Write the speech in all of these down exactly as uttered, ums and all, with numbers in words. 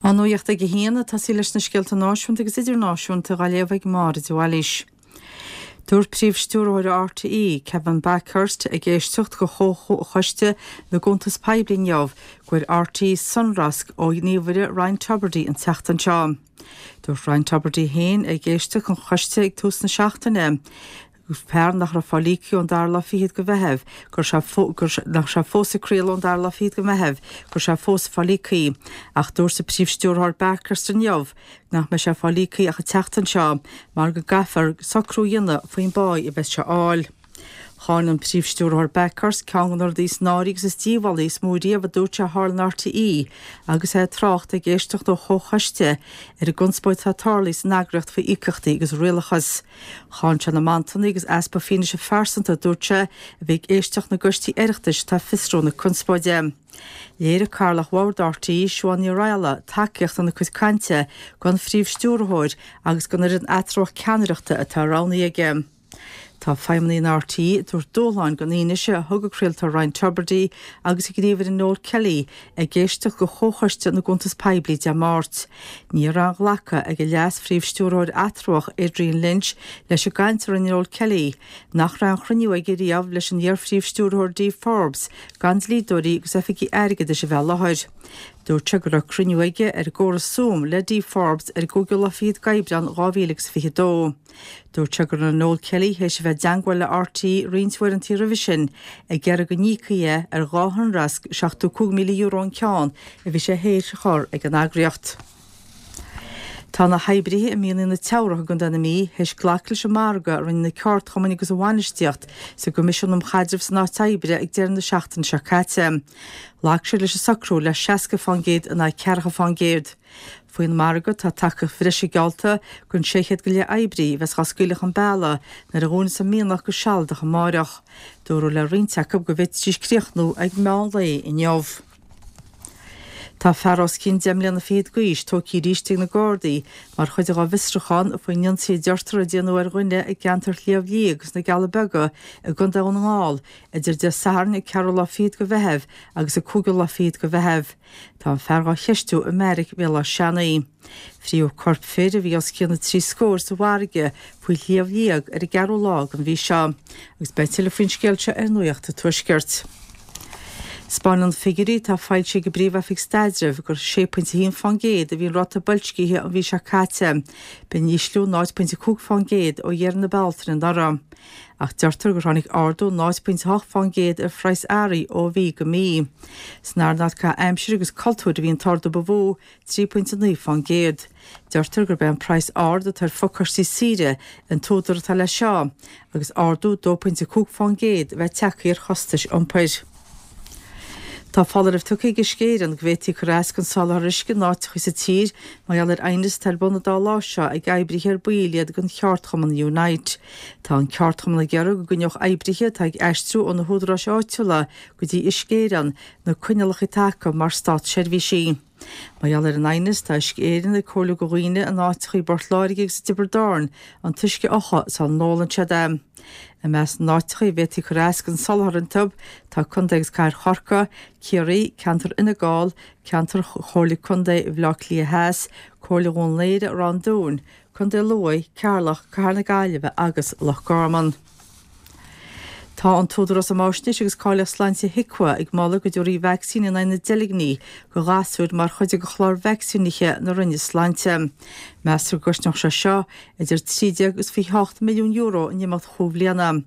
An nuacht ag a haon ag tosaí leis na scéalta náisiúnta agus idirnáisiúnta á léamh ag Máire de Bhailís. Dúirt Príomh-Stiúrthóir RTÉ, Kevin Bakhurst, ag éisteacht do Chomhchoiste na gCuntas Poiblí inniu go bhfuair RTÉ sonrasc ó ghníomhaire Ryan Tubridy an tseachtain seo. Dúirt Ryan Tubridy féin ag éisteacht don choiste ag tús na seachtaine fear nach raibh fáil íoctha ón dara lá fichead de Mheitheamh, go raibh nach raibh sé fós ag craoladh ón dara lá fichead de Mheitheamh, go raibh sé fós ag fáil íoctha. Ach dúirt an Príomh-Stiúrthóir Bakhurst inniu nach mbeidh sé ag fáil íoctha ach an tseachtain seo mar go gcaithfear socrú a dhéanamh faoin bpá a bheas sé a fháil. Cháin an Príomh-Stiúrthóir Bakhurst ceann de na rudaí is náirí agus is díobhálaí is mó riamh a dúirt sé a tharla in RTÉ agus é ag trácht ag éisteacht do chomhchoiste ar an gconspóid atá tarlaithe san eagraíocht faoi íocaíochtaí agus rialachas. Cháin sé na mantanna agus easpa fianaise phearsanta a dúirt sé a bhí ag éisteacht na gcoistí Oireachtais atá ag fiosrú na conspóide. Léirigh Cathaoirleach Bhord RTÉ, Siobhán Ní Raghallaigh, tacaíocht ina cuid cainte don Phríomh-Stiúrthóir agus don fhoireann eatramhach ceannaireachta atá roghnaithe aige. Tá feidhmeannaigh in RTÉ ag tabhairt dúshláin don fhianaise a thug an craoltóir Ryan Tubridy agus a ghníomhaire Noel Kelly ag éisteacht do Chomhchoiste na gCuntas Poiblí Dé Máirt. Ní raibh aon ghlacadh ag an Leas-Phríomh-Stiúrthóir eatramhach Adrian Lynch leis an gcaint a rinne Noel Kelly, nach raibh aon chruinniú aige riamh leis an iar-Phríomh-Stiúrthóir Dee Forbes gan dlíodóirí agus oifigigh airgeadais a bheith i láthair. Dúirt sé go raibh cruinniú aige ar an gcóras Zoom le Dee Forbes ar an gcúigiú lá fichead d'Aibreán dhá mhíle agus fiche dó. Dúirt sé go raibh Noel Kelly théis a bheith i dteagmháil le RTÉ roinnt uaireanta roimhe sin ag iarraidh go n-íocfaí é ar dhá shonrasc seachtó cúig míle euro an ceann a bhí sé théis a chur ag an eagraíocht. Tá na hoibrithe i mianaigh na Teamhrach i gContae na Mí théis glacadh leis an margadh a rinne na ceardchumainn agus an bhainistíocht sa gCoimisiún um Chaidreamh san Áit Oibre ag deireadh na seachtaine seo caite. Ghlac siad leis an socrú le seasca fán gcéad in aghaidh ceathracha fán gcéad. Faoin margadh tá tacaíocht bhreise geallta don sé chéad go leith oibrí a bheas á scaoileadh chun bealaigh nuair a dhúnfas an mianach go sealadach amárach. Dúradh le roinnt acu go bhféadfaidís críochnú ag meán lae inniu. Tá fear os cionn deich mbliana fichead d'aois tógtha arís ag na Gardaí mar chuid dá bhfiosrúchán faoin ionsaí a deirtear a déanadh ar dhuine i gceantar Shliabh Liag agus na gCealla Beaga i gContae Dhún na nGall idir Dé Sathairn an ceathrú lá fichead de Mheitheamh agus an cúigiú lá fichead de Mheitheamh. Tá an fear dhá cheistiú i mbeairic Bhéal Átha Seanaidh. Frítheadh corp fir a bhí os cionn na trí scór sa bhfarraige faoi Shliabh Liag ar an gceathrú lá den mhí seo agus beidh tuilleadh faoin scéal seo ar Nuacht an Tuaiscirt. 'Spáineann figiúirí atá foilsithe ag an bPríomh-Oifig Staidrimh gur sé pointe a haon fán gcéad a bhí an ráta boilscithe an mhí seo caite. B'in ísliú náid pointe a cúig fán gcéad ó dheireadh na Bealtaine anuraidh. Ach deirtear gur tháinig ardú náid pointe a hocht fán gcéad ar phraghas earraí ó mhí go mí. San earnáil caitheamh aimsire agus cultúir a bhí an t-ardú ba mhó, trí pointe naoi fán gcéad. Deirtear gurb é an praghas ard atá ar phacáistí saoire an t-údar atá leis seo, agus ardú dó pointe cúig fán gcéad a bheith tagtha ar chostais iompair. Tá foláireamh tugtha ag Uisce Éireann go bhféadfaí cur as don soláthar uisce in áiteacha sa tír mar gheall ar aighneas atá ar bun an dá lá seo ag oibrithe ar baill iad den cheardchumann Unite. Tá an ceardchumann ag iarraidh go gcoinneodh oibrithe atá ag aistriú ó na húdaráis áitiúla go dtí Uisce Éireann na coinníollacha atá acu mar státseirbhísigh. Mar gheall ar an aighneas, tá Uisce Éireann ag comhairliú do dhaoine in áiteacha i bPort Láirge agus i dTiobraid Árann an t-uisce a fhiuchadh sula n-ólann siad é. I measc na n-áiteacha a bhféadfaí cur as don soláthar iontu tá Contae agus Cathair Chorcaí, Ciarraí, Ceantar Fhine Gall, Ceantar Chomhairle Contae Bhaile Átha Cliath Theas, Comhairle Dhún Laoghaire, Ráth an Dúin, Contae Lú, Ceatharlach, Cathair na Gaillimhe agus Loch Garman. Tá an tÚdarás um Fháisnéis agus Cáilíocht Sláinte HIQA ag moladh go dtabharfaí vacsaín in aghaidh na deilgní do ghasúir mar chuid de chlár vacsaínithe na Roinne Sláinte. Meastar go gcosnódh sé seo idir trí déag agus fiche hocht milliún euro in imeacht chúig bhliana.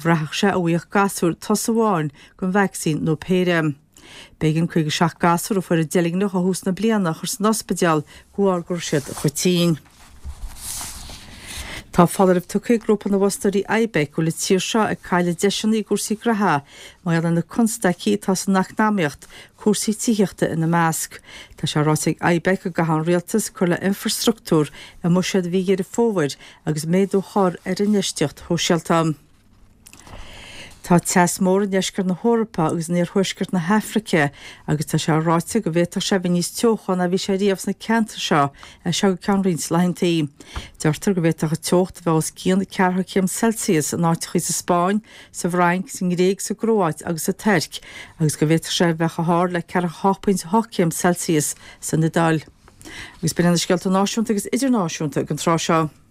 Bhraithfeadh sé an bhfaigheadh gasúir tosa amháin den vacsaín nó péire. B'éigean caoga seacht gasúr a fuair an deilgneach ó thús na bliana a chur san ospidéal de bharr go raibh siad chomh tinn. Tá foláireamh tugtha ag grúpa na bhfostóirí IBEC go bhfuil an tír seo ag cailleadh deiseanna i gcúrsaí graithe mar gheall ar na constaicí atá san eacnamaíocht, cúrsaí tithíochta ina measc. Tá sé ráite ag IBEC go gcaithfidh an rialtas cur le infreastruchtúr i mbuiséad mhí Dheireadh Fómhair agus méadú a chur ar infheistíocht shóisialta. Tá teas mór i ndeisceart na hEorpa agus in iarthuaisceart na hAfraice agus tá sé ráite go bhféadfadh sé a bheith níos teocha ná bhí sé riamh sna ceantair seo as seo go ceann roinnt laethantaí. Deirtear go bhféadfadh an teocht a bheith os cionn ceathracha céim Celsius in áiteacha sa Spáinn, sa bhFrainc, sa nGréig, sa gCróáit agus sa Tuirc agus go bhféadfadh sé a bheith chomh hard le ceathracha hocht pointe hocht céim Celsius san Iodáil. Agus b'in na scéalta náisiúnta agus idirnáisiúnta ag an tráth seo.